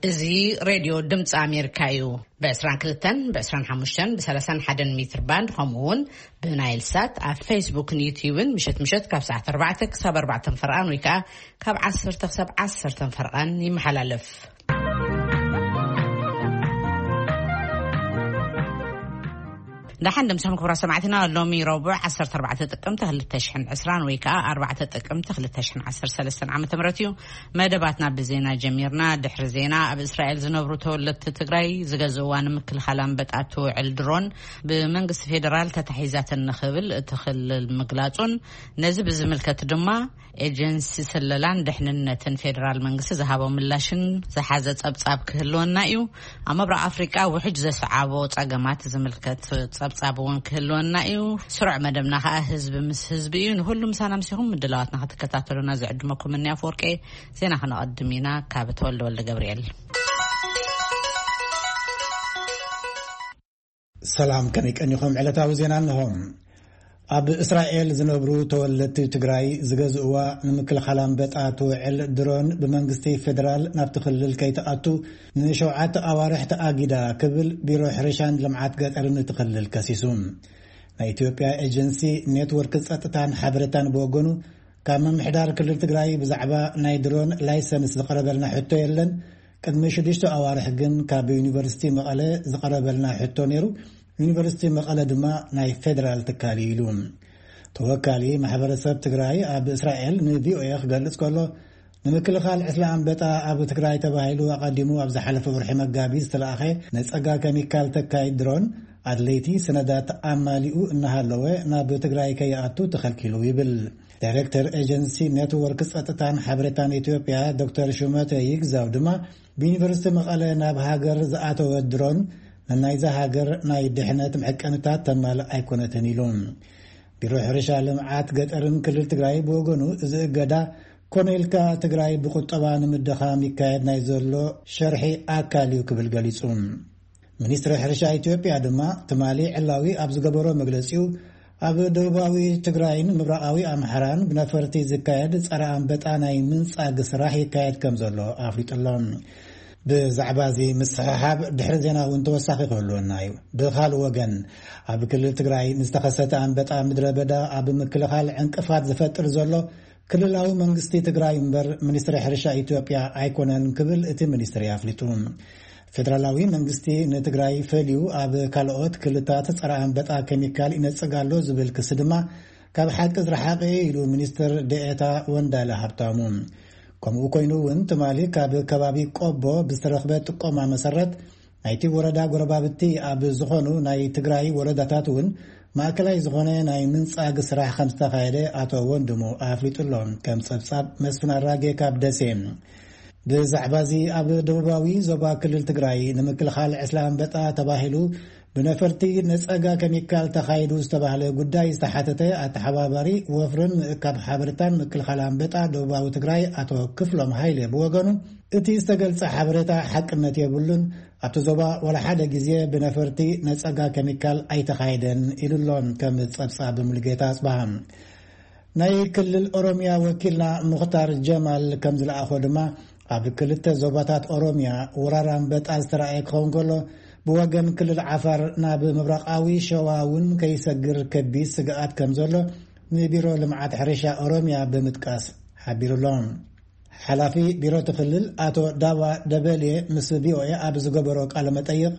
እዚ ሬድዮ ድምፂ ኣሜሪካ እዩ። ብ22፣ ብ25፣ ብ31 ሜትር ባንድ፣ ከምኡ እውን ብናይል ሳት ኣብ ፌስቡክን ዩትዩብን ምሸት ምሸት ካብ ሰዓት ኣርባዕተ ክሳብ ኣርባዕተ ፈርቓን ወይ ከዓ ካብ ዓሰርተ ክሳብ ዓሰርተ ፈርቓን ይመሓላለፍ። ደሓን ደምሰኹም ክቡራት ሰማዕትና፣ ሎሚ ረቡዕ ዓሰርተ ኣርባዕተ ጥቅምቲ ክልተ ሽሕን ዕስራን ወይ ከዓ ኣርባዕተ ጥቅምቲ ክልተ ሽሕን ዓሰርተ ሰለስተን ዓመተ ምህረት እዩ። መደባትና ብዜና ጀሚርና። ድሕሪ ዜና፣ ኣብ እስራኤል ዝነብሩ ተወለድቲ ትግራይ ዝገዝእዋ ንምክልኻል ኣንበጣ ትውዕል ድሮን ብመንግስቲ ፌዴራል ተታሒዛተን ንኽብል እቲ ክልል ምግላጹን፣ ነዚ ብዝምልከት ድማ ኤጀንሲ ስለላን ድሕንነትን ፌዴራል መንግስቲ ዝሃቦ ምላሽን ዝሓዘ ጸብጻብ ክህልወና እዩ። ኣብ ምብራቕ ኣፍሪቃ ውሕጅ ዘስዓቦ ጸገማት ዝምልከት ጸብጻብ እውን ክህልወና እዩ። ስሩዕ መደብና ከኣ ህዝቢ ምስ ህዝቢ እዩ። ንኹሉ ምሳና ምሲኹም ምድላዋትና ክትከታተሉና ዝዕድመኩም እኒ ኣፈወርቄ። ዜና ክነቐድም ኢና። ካብ ተወልደ ወልደ ገብርኤል። ሰላም፣ ከመይ ቀኒኹም? ዕለታዊ ዜና እንሆ። ኣብ እስራኤል ዝነብሩ ተወለድቲ ትግራይ ዝገዝእዋ ንምክልኻል ኣንበጣ ትውዕል ድሮን ብመንግስቲ ፌዴራል ናብቲ ክልል ከይትኣቱ ንሸውዓተ ኣዋርሕ ተኣጊዳ ክብል ቢሮ ሕርሻን ልምዓት ገጠርን እቲ ክልል ከሲሱ። ናይ ኢትዮጵያ ኤጀንሲ ኔትወርክ ጸጥታን ሓበሬታን ብወገኑ፣ ካብ ምምሕዳር ክልል ትግራይ ብዛዕባ ናይ ድሮን ላይሰንስ ዝቐረበልና ሕቶ የለን። ቅድሚ ሽዱሽተ ኣዋርሕ ግን ካብ ዩኒቨርሲቲ መቐለ ዝቐረበልና ሕቶ ነይሩ። ዩኒቨርሲቲ መቐለ ድማ ናይ ፌዴራል ትካል እዩ ኢሉ። ተወካሊ ማሕበረሰብ ትግራይ ኣብ እስራኤል ንቪኦኤ ክገልጽ ከሎ፣ ንምክልኻል ዕስለ ኣንበጣ ኣብ ትግራይ ተባሂሉ ኣቐዲሙ ኣብ ዝሓለፈ ወርሒ መጋቢት ዝተለኣኸ ነጸጋ ኬሚካል ተካይ ድሮን ኣድለይቲ ሰነዳት ኣማሊኡ እናሃለወ ናብ ትግራይ ከይኣቱ ተኸልኪሉ ይብል። ዳይሬክተር ኤጀንሲ ኔትወርክ ጸጥታን ሓበሬታን ኢትዮጵያ ዶክተር ሹመተ ይግዛው ድማ፣ ብዩኒቨርሲቲ መቐለ ናብ ሃገር ዝኣተወ ድሮን ንናይዛ ሃገር ናይ ድሕነት መዐቀንታት ተማልእ ኣይኮነትን ኢሉ። ቢሮ ሕርሻ ልምዓት ገጠርን ክልል ትግራይ ብወገኑ፣ እዚ እገዳ ኮነ ኢልካ ትግራይ ብቁጠባ ንምድኻም ይካየድ ናይ ዘሎ ሸርሒ ኣካል እዩ ክብል ገሊጹ። ሚኒስትሪ ሕርሻ ኢትዮጵያ ድማ ትማሊ ዕላዊ ኣብ ዝገበሮ መግለጺኡ፣ ኣብ ደቡባዊ ትግራይን ምብራቓዊ ኣምሓራን ብነፈርቲ ዝካየድ ጸረ ኣንበጣ ናይ ምንጻግ ስራሕ ይካየድ ከም ዘሎ ኣፍሊጡ ኣሎ። ብዛዕባ እዚ ምስሕሓብ ድሕሪ ዜና እውን ተወሳኺ ክህልወና እዩ። ብኻልእ ወገን፣ ኣብ ክልል ትግራይ ንዝተኸሰተ ኣንበጣ ምድረ በዳ ኣብ ምክልኻል ዕንቅፋት ዝፈጥር ዘሎ ክልላዊ መንግስቲ ትግራይ እምበር ሚኒስትሪ ሕርሻ ኢትዮጵያ ኣይኮነን ክብል እቲ ሚኒስትሪ ኣፍሊጡ። ፌደራላዊ መንግስቲ ንትግራይ ፈልዩ ኣብ ካልኦት ክልታት ጸረ ኣንበጣ ኬሚካል ይነጽግ ኣሎ ዝብል ክሲ ድማ ካብ ሓቂ ዝረሓቐ ኢሉ ሚኒስትር ደኤታ ወንዳለ ሃብታሙ። ከምኡ ኮይኑ እውን ትማሊ ካብ ከባቢ ቆቦ ብዝተረኽበ ጥቆማ መሰረት፣ ናይቲ ወረዳ ጎረባብቲ ኣብ ዝኾኑ ናይ ትግራይ ወረዳታት እውን ማእከላይ ዝኾነ ናይ ምንጻግ ስራሕ ከም ዝተኻየደ ኣቶ ወንድሙ ኣፍሊጡ ኣሎ። ከም ጸብጻብ መስፍን ኣራጌ ካብ ደሴ። ብዛዕባ እዚ ኣብ ደቡባዊ ዞባ ክልል ትግራይ ንምክልኻል ዕስለ ኣንበጣ ተባሂሉ ብነፈርቲ ነጸጋ ኬሚካል ተኻይዱ ዝተባህለ ጉዳይ ዝተሓተተ ኣተሓባባሪ ወፍርን ምእካብ ሓበሬታን ምክልኻል ኣንበጣ ደቡባዊ ትግራይ ኣቶ ክፍሎም ሃይለ ብወገኑ፣ እቲ ዝተገልጸ ሓበሬታ ሓቅነት የብሉን፣ ኣብቲ ዞባ ዋላ ሓደ ግዜ ብነፈርቲ ነጸጋ ኬሚካል ኣይተኻየደን ኢሉ ኣሎ። ከም ጸብጻብ ሙሉጌታ ኣጽብሃ። ናይ ክልል ኦሮሚያ ወኪልና ሙኽታር ጀማል ከም ዝለኣኾ ድማ፣ ኣብ ክልተ ዞባታት ኦሮሚያ ወራር ኣንበጣ ዝተረኣየ ክኸውን ከሎ፣ ብወገን ክልል ዓፋር ናብ ምብራቓዊ ሸዋ እውን ከይሰግር ከቢድ ስግኣት ከም ዘሎ ንቢሮ ልምዓት ሕርሻ ኦሮሚያ ብምጥቃስ ሓቢሩ ኣሎ። ሓላፊ ቢሮ እቲ ክልል ኣቶ ዳባ ደበሌ ምስ ቪኦኤ ኣብ ዝገበሮ ቃለ መጠይቕ፣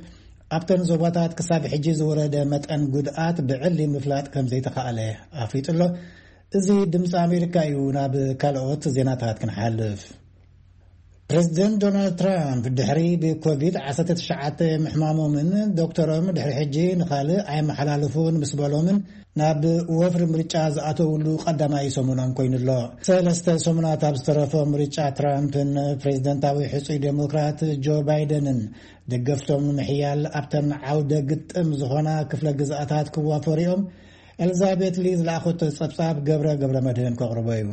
ኣብተን ዞባታት ክሳብ ሕጂ ዝወረደ መጠን ጉድኣት ብዕሊ ምፍላጥ ከም ዘይተኻእለ ኣፍሊጡ ኣሎ። እዚ ድምፂ ኣሜሪካ እዩ። ናብ ካልኦት ዜናታት ክንሓልፍ። ፕሬዚደንት ዶናልድ ትራምፕ ድሕሪ ብኮቪድ ዓሰርተ ትሽዓተ ምሕማሞምን ዶክተሮም ድሕሪ ሕጂ ንኻልእ ኣይመሓላልፉን ምስ በሎምን ናብ ወፍሪ ምርጫ ዝኣተውሉ ቀዳማይ ሰሙኖም ኮይኑ ኣሎ። ሰለስተ ሰሙናት ኣብ ዝተረፎ ምርጫ ትራምፕን ፕሬዚደንታዊ ሕጹይ ዴሞክራት ጆ ባይደንን ደገፍቶም ንምሕያል ኣብተን ዓውደ ግጥም ዝኾና ክፍለ ግዝኣታት ክዋፈሩ እዮም። ኤልዛቤት ሊ ዝለኣኸቶ ጸብጻብ ገብረ ገብረ መድህን ከቕርቦ እዩ።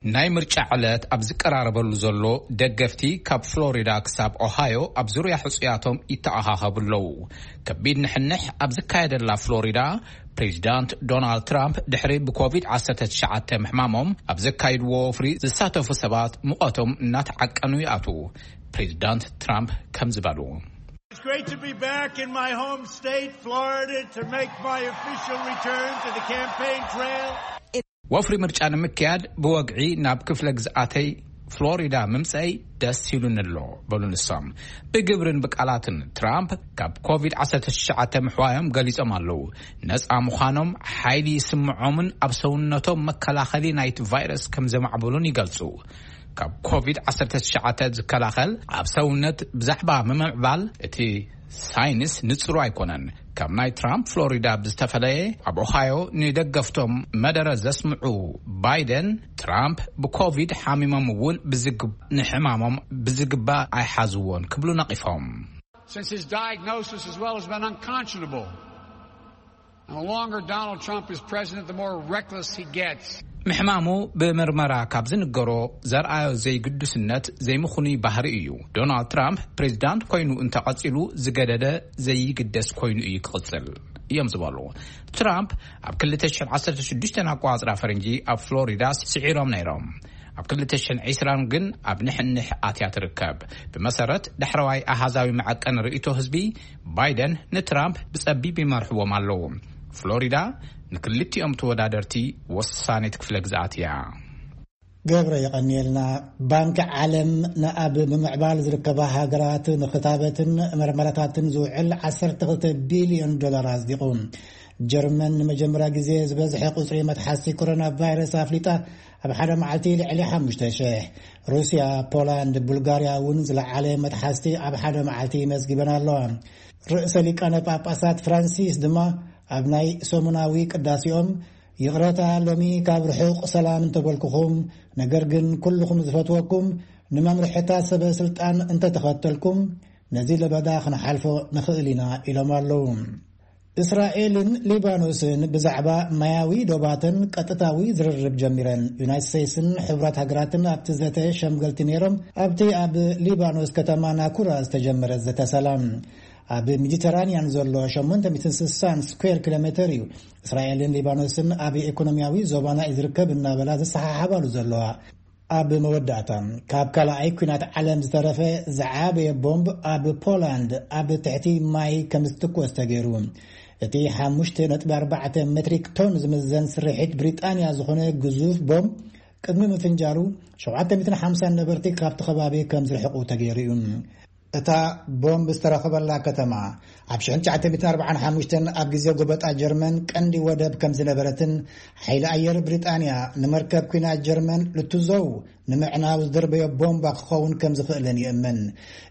ናይ ምርጫ ዕለት ኣብ ዝቀራረበሉ ዘሎ፣ ደገፍቲ ካብ ፍሎሪዳ ክሳብ ኦሃዮ ኣብ ዙርያ ሕጹያቶም ይተኣኻኸቡ ኣለዉ። ከቢድ ንሕንሕ ኣብ ዝካየደላ ፍሎሪዳ፣ ፕሬዚዳንት ዶናልድ ትራምፕ ድሕሪ ብኮቪድ ዓሰርተ ትሽዓተ ምሕማሞም ኣብ ዘካይድዎ ወፍሪ ዝሳተፉ ሰባት ሙቐቶም እናተዓቀኑ ይኣትዉ። ፕሬዚዳንት ትራምፕ ከም ዝበሉ፣ It's great to be back in my home state, Florida, to make my official return to the campaign trail. ወፍሪ ምርጫ ንምክያድ ብወግዒ ናብ ክፍለ ግዝኣተይ ፍሎሪዳ ምምፀይ ደስ ይብሉኒ ኣሎ፣ በሉ ንሶም። ብግብርን ብቃላትን ትራምፕ ካብ ኮቪድ ዓሰርተ ትሽዓተ ምሕዋዮም ገሊጾም ኣለዉ። ነፃ ምዃኖም ሓይሊ ይስምዖምን ኣብ ሰውነቶም መከላኸሊ ናይቲ ቫይረስ ከም ዘማዕበሉን ይገልጹ። ካብ ኮቪድ ዓሰርተ ትሽዓተ ዝከላኸል ኣብ ሰውነት ብዛዕባ ምምዕባል እቲ ሳይንስ ንጽሩ ኣይኮነን። ካብ ናይ ትራምፕ ፍሎሪዳ ብዝተፈለየ፣ ኣብ ኦሃዮ ንደገፍቶም መደረ ዘስምዑ ባይደን፣ ትራምፕ ብኮቪድ ሓሚሞም እውን ብዝግ-፣ ንሕማሞም ብዝግባእ ኣይሓዝዎን ክብሉ ነቒፎም። Since his diagnosis as well has been unconscionable, and the longer Donald Trump is president, the more reckless he gets. ምሕማሙ ብምርመራ ካብ ዝንገሮ ዘርኣዮ ዘይግዱስነት ዘይምኹኑይ ባህሪ እዩ። ዶናልድ ትራምፕ ፕሬዚዳንት ኮይኑ እንተቐጺሉ ዝገደደ ዘይግደስ ኮይኑ እዩ ክቕጽል እዮም ዝበሉ። ትራምፕ ኣብ ክልተ ሽሕን ዓሰርተ ሽዱሽተን ኣቆጻጽራ ፈረንጂ ኣብ ፍሎሪዳ ስዒሮም ነይሮም። ኣብ ክልተ ሽሕን ዕስራን ግን ኣብ ንሕንሕ ኣትያ ትርከብ። ብመሰረት ዳሕረዋይ ኣሃዛዊ መዐቀኒ ርእይቶ ህዝቢ፣ ባይደን ንትራምፕ ብጸቢብ ይመርሕዎም ኣለዉ። ፍሎሪዳ ንክልቲኦም ተወዳደርቲ ወሳኒት ክፍለ ግዝኣት እያ። ገብረ የቐንየልና። ባንኪ ዓለም ንኣብ ምምዕባል ዝርከባ ሃገራት ንክታበትን መርመራታትን ዝውዕል ዓሰርተ ክልተ ቢልዮን ዶላር ኣጽዲቑ። ጀርመን ንመጀመርያ ግዜ ዝበዝሐ ቁጽሪ መትሓዝቲ ኮሮና ቫይረስ ኣፍሊጣ፣ ኣብ ሓደ መዓልቲ ልዕሊ ሓሙሽተ ሽሕ። ሩስያ፣ ፖላንድ፣ ቡልጋርያ እውን ዝለዓለ መትሓዝቲ ኣብ ሓደ መዓልቲ መዝጊበን ኣለዋ። ርእሰ ሊቃነ ጳጳሳት ፍራንሲስ ድማ ኣብ ናይ ሰሙናዊ ቅዳሴኦም፣ ይቕረታ፣ ሎሚ ካብ ርሑቕ ሰላም እንተበልኩኹም፣ ነገር ግን ኩልኹም ዝፈትወኩም ንመምርሕታት ሰበ ስልጣን እንተተኸተልኩም፣ ነዚ ለበዳ ክንሓልፎ ንኽእል ኢና ኢሎም ኣለዉ። እስራኤልን ሊባኖስን ብዛዕባ ማያዊ ዶባተን ቀጥታዊ ዝርርብ ጀሚረን። ዩናይትድ ስቴትስን ሕቡራት ሃገራትን ኣብቲ ዘተ ሸምገልቲ ነይሮም። ኣብቲ ኣብ ሊባኖስ ከተማ ናኩራ ዝተጀመረ ዘተ ሰላም፣ ኣብ ሜዲተራንያን ዘሎ ሸሞንተ ሚእትን ስሳን ስኩዌር ኪሎ ሜተር እዩ። እስራኤልን ሊባኖስን ኣብ ኢኮኖሚያዊ ዞባና እዩ ዝርከብ እናበላ ዝሰሓሓባሉ ዘለዋ። ኣብ መወዳእታ፣ ካብ ካልኣይ ኲናት ዓለም ዝተረፈ ዝዓበየ ቦምብ ኣብ ፖላንድ ኣብ ትሕቲ ማይ ከም ዝትኮስ ተገይሩ። እቲ ሓሙሽተ ነጥቢ ኣርባዕተ ሜትሪክ ቶን ዝምዘን ስርሒት ብሪጣንያ ዝኾነ ግዙፍ ቦምብ ቅድሚ ምፍንጃሩ፣ ሸውዓተ ሚእትን ሓምሳን ነበርቲ ካብቲ ከባቢ ከም ዝርሕቑ ተገይሩ እዩ። እታ ቦምብ ዝተረኸበላ ከተማ፣ ኣብ ሽሕን ትሽዓተ ሚእትን ኣርባዓን ሓሙሽተን ኣብ ግዜ ጎበጣ ጀርመን ቀንዲ ወደብ ከም ዝነበረትን፣ ሓይሊ ኣየር ብሪጣንያ ንመርከብ ኲናት ጀርመን ልትዞው ንምዕናው ዝደርበዮ ቦምባ ክኸውን ከም ዝኽእልን ይእመን።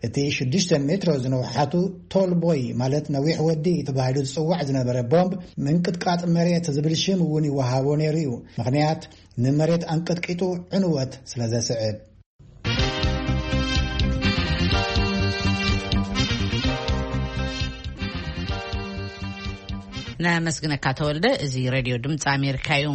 እቲ ሽዱሽተ ሜትሮ ዝነውሓቱ ቶል ቦይ፣ ማለት ነዊሕ ወዲ ተባሂሉ ዝጽዋዕ ዝነበረ ቦምብ፣ ምንቅጥቃጥ መሬት ዝብል ሽም እውን ይወሃቦ ነይሩ እዩ። ምኽንያት፣ ንመሬት ኣንቀጥቂጡ ዕንወት ስለ ዘስዕብ። ነመስግነካ ተወልደ። እዚ ሬድዮ ድምፂ ኣሜሪካ እዩ።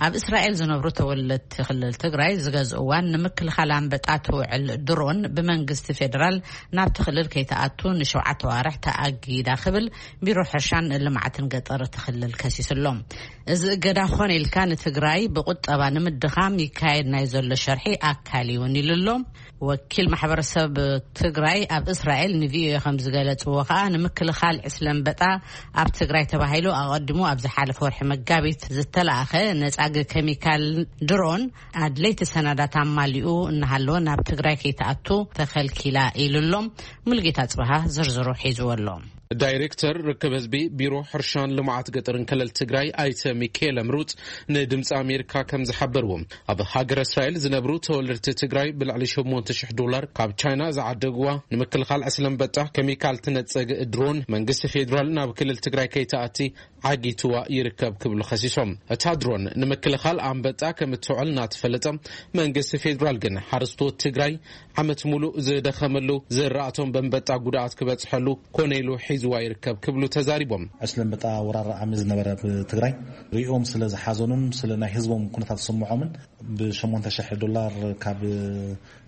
ኣብ እስራኤል ዝነብሩ ተወለድቲ ክልል ትግራይ ዝገዝእዋን ንምክልኻል ኣንበጣ ትውዕል ድሮን ብመንግስቲ ፌዴራል ናብቲ ክልል ከይትኣቱ ንሸውዓተ ዋርሕ ተኣጊዳ ክብል ቢሮ ሕርሻን ልምዓትን ገጠር እቲ ክልል ከሲሱ ኣሎ። እዚ እገዳ ኮነ ኢልካ ንትግራይ ብቁጠባ ንምድኻም ይካየድ ናይ ዘሎ ሸርሒ ኣካል እውን ኢሉ ኣሎ። ወኪል ማሕበረሰብ ትግራይ ኣብ እስራኤል ንቪኦኤ ከም ዝገለጽዎ ከኣ፣ ንምክልኻል ዕስለ ኣንበጣ ኣብ ትግራይ ተባሂሉ ኣቐዲሙ ኣብ ዝሓለፈ ወርሒ መጋቢት ዝተላእኸ ነጻጊ ኬሚካል ድሮን ኣድለይቲ ሰነዳት ኣማሊኡ እናሃለወ ናብ ትግራይ ከይትኣቱ ተኸልኪላ ኢሉ ኣሎ። ሙልጌታ ጽበሃ ዝርዝሩ ሒዝዎ ኣሎ። ዳይሬክተር ርክብ ህዝቢ ቢሮ ሕርሻን ልምዓት ገጠርን ክልል ትግራይ ኣይተ ሚካኤል ምሩፅ ንድምፂ ኣሜሪካ ከም ዝሓበርዎ፣ ኣብ ሃገረ እስራኤል ዝነብሩ ተወለድቲ ትግራይ ብልዕሊ ሸሞንተ ሽሕ ዶላር ካብ ቻይና ዝዓደግዋ ንምክልኻል ዕስለ ኣንበጣ ኬሚካል ትነፀግ ድሮን መንግስቲ ፌዴራል ናብ ክልል ትግራይ ከይትኣቲ ዓጊትዋ ይርከብ ክብሉ ከሲሶም። እታ ድሮን ንምክልኻል ኣንበጣ ከም እትውዕል እናተፈለጠ፣ መንግስቲ ፌዴራል ግን ሓረስቶት ትግራይ ዓመት ሙሉእ ዝደኸመሉ ዝራእቶም በንበጣ ጉድኣት ክበፅሐሉ ኮነ ኢሉ ዝዋ ይርከብ ክብሉ ተዛሪቦም። ዕስለ ኣንበጣ ወራር ዓሚ ዝነበረ ኣብ ትግራይ ሪኦም ስለ ዝሓዘኑን ስለ ናይ ህዝቦም ኩነታት ዝስምዖምን ብሸሞንተ ሽሕ ዶላር ካብ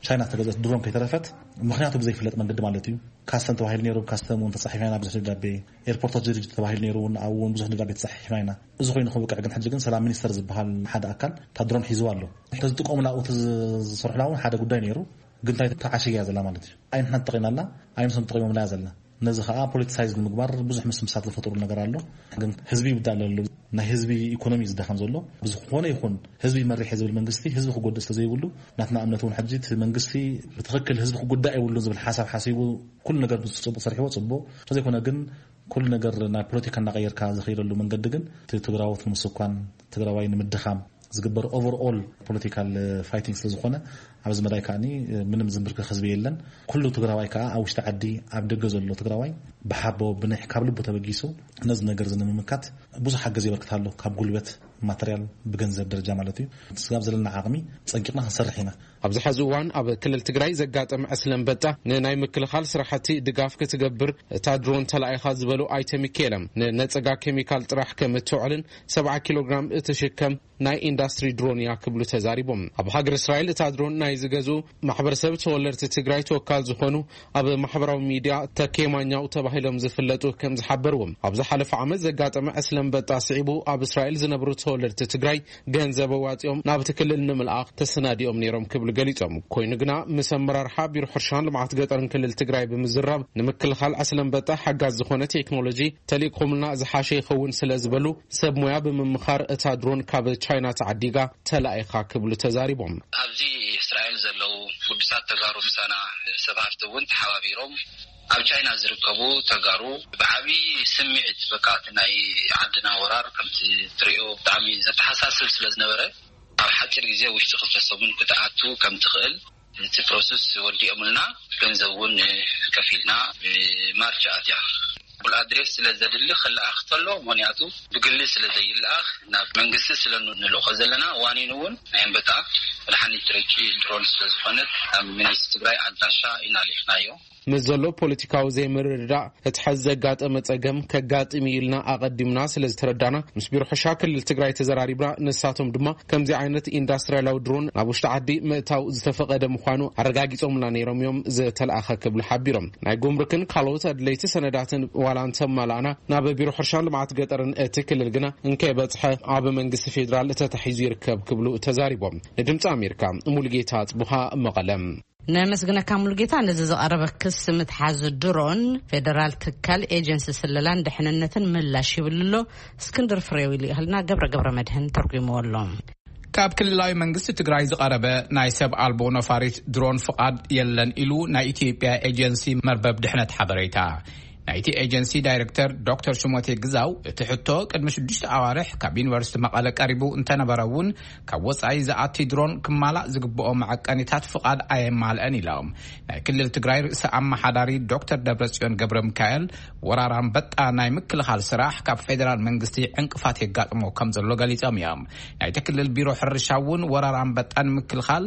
ቻይና ዝተገዘት ድሮን ከይተረፈት፣ ምኽንያቱ ብዘይፍለጥ መንገዲ ማለት እዩ። ካስተም ተባሂሉ ነይሩ፣ ካስተም እውን ተጻሒፍና ኢና ብዙሕ ደብዳቤ፣ ኤርፖርታት ዝርጅ ተባሂሉ ነይሩ እውን ኣብኡ እውን ብዙሕ ደብዳቤ ተጻሒፍና ኢና። እዚ ኮይኑ ክብቅዕ ግን ሕጂ ግን ሰላም ሚኒስተር ዝበሃል ሓደ ኣካል እታ ድሮን ሒዝዋ ኣሎ። ተዝጥቀሙላ ኣብኡ ተዝሰርሑላ እውን ሓደ ጉዳይ ነይሩ። ግን እንታይ ተዓሽያ ዘላ ማለት እዩ። ኣይ ንሕና ተጠቒምናላ፣ ኣይ ንሶም ተጠቒሞምላ ዘላ። ነዚ ከዓ ፖለቲሳይዝ ንምግባር ብዙሕ ምስምሳት ዝፈጥሩ ነገር ኣሎ። ግን ህዝቢ ይውዳእ ኣሎ። ናይ ህዝቢ ኢኮኖሚ ዝደኸም ዘሎ ብዝኾነ ይኹን ህዝቢ መሪሕ ዝብል መንግስቲ ህዝቢ ክጎድእ ስለ ዘይብሉ ናትና እምነት እውን ሕጂ እቲ መንግስቲ ብትኽክል ህዝቢ ክጉዳእ የብሉን ዝብል ሓሳብ ሓሲቡ ኩሉ ነገር ብፅቡቅ ሰሪሕዎ ፅቡቅ። እንተዘይኮነ ግን ኩሉ ነገር ናይ ፖለቲካ እናቀየርካ ዝኸይደሉ መንገዲ ግን እቲ ትግራዎት ንምስኳን ትግራዋይ ንምድኻም ዝግበር ኦቨርኦል ፖለቲካል ፋይቲንግ ስለ ዝኾነ ኣብዚ መዳይ ከዓኒ ምንም ዝንብርከኽ ህዝቢ የለን። ኩሉ ትግራዋይ ከዓ ኣብ ውሽጢ ዓዲ ኣብ ደገ ዘሎ ትግራዋይ ብሓቦ ብንሕ ካብ ልቡ ተበጊሱ ነዚ ነገር እዚ ንምምካት ብዙሕ ሓገዝ የበርክት ኣሎ። ካብ ጉልበት ማተርያል ብገንዘብ ደረጃ ማለት እዩ። ስጋብ ዘለና ዓቕሚ ጸንቂቕና ክንሰርሕ ኢና። ኣብዚ ሐዚ እዋን ኣብ ክልል ትግራይ ዘጋጠመ ዕስለ ኣንበጣ ንናይ ምክልኻል ስራሕቲ ድጋፍ ክትገብር እታ ድሮን ተላኢኻ ዝበሉ ኣይተ ሚካኤለ ንነጸጋ ኬሚካል ጥራሕ ከም እትውዕልን ሰብዓ ኪሎ ግራም እትሽከም ናይ ኢንዳስትሪ ድሮን እያ ክብሉ ተዛሪቦም። ኣብ ሃገር እስራኤል እታ ድሮን ናይ ዝገዝኡ ማሕበረሰብ ተወለድቲ ትግራይ ተወካል ዝኾኑ ኣብ ማሕበራዊ ሚድያ ተኬማኛው ተባሂሎም ዝፍለጡ ከም ዝሓበርዎም ኣብ ዝሓለፈ ዓመት ዘጋጠመ ዕስለ ኣንበጣ ስዒቡ ኣብ እስራኤል ዝነብሩ ተወለድቲ ትግራይ ገንዘብ ኣዋፂኦም ናብቲ ክልል ንምልኣኽ ተሰናዲኦም ነይሮም ክብሉ ገሊፆም። ኮይኑ ግና ምስ ኣመራርሓ ቢሮ ሕርሻን ልምዓት ገጠርን ክልል ትግራይ ብምዝራብ ንምክልኻል ዕስለ ኣንበጣ ሓጋዝ ዝኾነ ቴክኖሎጂ ተልኢኹምልና ዝሓሸ ይኸውን ስለ ዝበሉ ሰብ ሞያ ብምምኻር እታ ድሮን ካብ ቻይና ተዓዲጋ ተላኢኻ ክብሉ ተዛሪቦም። ኣብዚ እስራኤል ዘለዉ ግዱሳት ተጋሩ ምሳና ሰብ ሃፍቲ እውን ተሓባቢሮም ኣብ ቻይና ዝርከቡ ተጋሩ ብዓብዪ ስምዒት በቃ እቲ ናይ ዓድና ወራር ከምቲ ትሪኦ ብጣዕሚ ዘተሓሳስብ ስለ ዝነበረ ኣብ ሓፂር ግዜ ውሽጢ ክልተ ሰሙን ክትኣቱ ከም ትኽእል እቲ ፕሮሰስ ወዲኦምልና ገንዘብ እውን ከፊልና ማርች ኣትያ ፉል ኣድሬስ ስለ ዘድሊ ክለኣኽ ተሎ ምክንያቱ ብግሊ ስለ ዘይለኣኽ ናብ መንግስቲ ስለ ንልእኾ ዘለና ዋኒን እውን ናይ ኣንበጣ መድሓኒት ረቂ ድሮን ስለ ዝኾነት ናብ መንግስቲ ትግራይ ኣድራሻ ኢና ልኢኽናዮ። ምስ ዘሎ ፖለቲካዊ ዘይምርድዳእ እቲ ሐዚ ዘጋጠመ ጸገም ከጋጥም እዩ ኢልና ኣቐዲምና ስለ ዝተረዳና ምስ ቢሮ ሕርሻ ክልል ትግራይ ተዘራሪብና። ንሳቶም ድማ ከምዚ ዓይነት ኢንዳስትሪያላዊ ድሮን ናብ ውሽጢ ዓዲ ምእታው ዝተፈቐደ ምዃኑ ኣረጋጊጾምና ነይሮም እዮም ዝተለኣኸ ክብሉ ሓቢሮም። ናይ ጉምሩክን ካልኦት ኣድለይቲ ሰነዳትን ዋላ እንተማላእና ናብ ቢሮ ሕርሻን ልምዓት ገጠርን እቲ ክልል ግና እንከይበጽሐ ኣብ መንግስቲ ፌዴራል ተታሒዙ ይርከብ ክብሉ ተዛሪቦም። ንድምፂ ኣሜሪካ ሙሉጌታ ጽቡሃ መቐለም። ነመስግነካ ሙሉጌታ። ነዚ ዝቐረበ ክስ ምትሓዝ ድሮን ፌደራል ትካል ኤጀንሲ ስለላን ድሕንነትን ምላሽ ይብል ኣሎ። እስክንድር ፍሬው ይልእኸልና ገብረ ገብረ መድህን ተርጉምዎ ኣሎ። ካብ ክልላዊ መንግስቲ ትግራይ ዝቐረበ ናይ ሰብ ኣልቦ ነፋሪት ድሮን ፍቓድ የለን ኢሉ ናይ ኢትዮጵያ ኤጀንሲ መርበብ ድሕነት ሓበሬታ። ናይቲ ኤጀንሲ ዳይሬክተር ዶክተር ሽሞቴ ግዛው እቲ ሕቶ ቅድሚ ሽዱሽተ ኣዋርሕ ካብ ዩኒቨርሲቲ መቐለ ቀሪቡ እንተነበረ እውን ካብ ወፃኢ ዝኣቲ ድሮን ክማላእ ዝግብኦ መዐቀኒታት ፍቓድ ኣየማልአን ኢሎም። ናይ ክልል ትግራይ ርእሰ ኣመሓዳሪ ዶክተር ደብረጽዮን ገብረ ሚካኤል ወራር ኣንበጣ ናይ ምክልኻል ስራሕ ካብ ፌደራል መንግስቲ ዕንቅፋት የጋጥሞ ከም ዘሎ ገሊጾም እዮም። ናይቲ ክልል ቢሮ ሕርሻ እውን ወራር ኣንበጣ ንምክልኻል